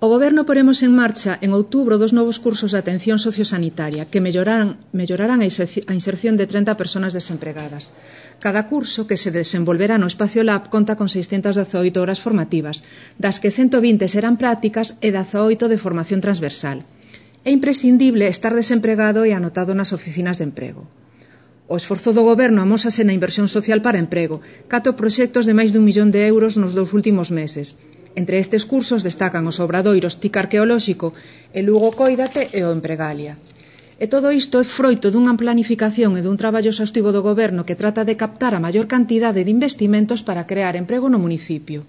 O Goberno poremos en marcha en outubro 2 novos cursos de atención sociosanitaria que mellorarán a inserción de 30 persoas desempregadas. Cada curso, que se desenvolverá no Espacio Lab, conta con 618 horas formativas, das que 120 serán prácticas e 18 de formación transversal. É imprescindible estar desempregado e anotado nas oficinas de emprego. O esforzo do Goberno amósase na inversión social para emprego, 4 proxectos de máis de 1 millón de euros nos 2 últimos meses. Entre estes cursos destacan os obradoiros TIC Arqueolóxico, el Lugo Cóidate e o Empregalia. E todo isto é froito dunha planificación e dun traballo exhaustivo do Goberno que trata de captar a maior cantidade de investimentos para crear emprego no municipio.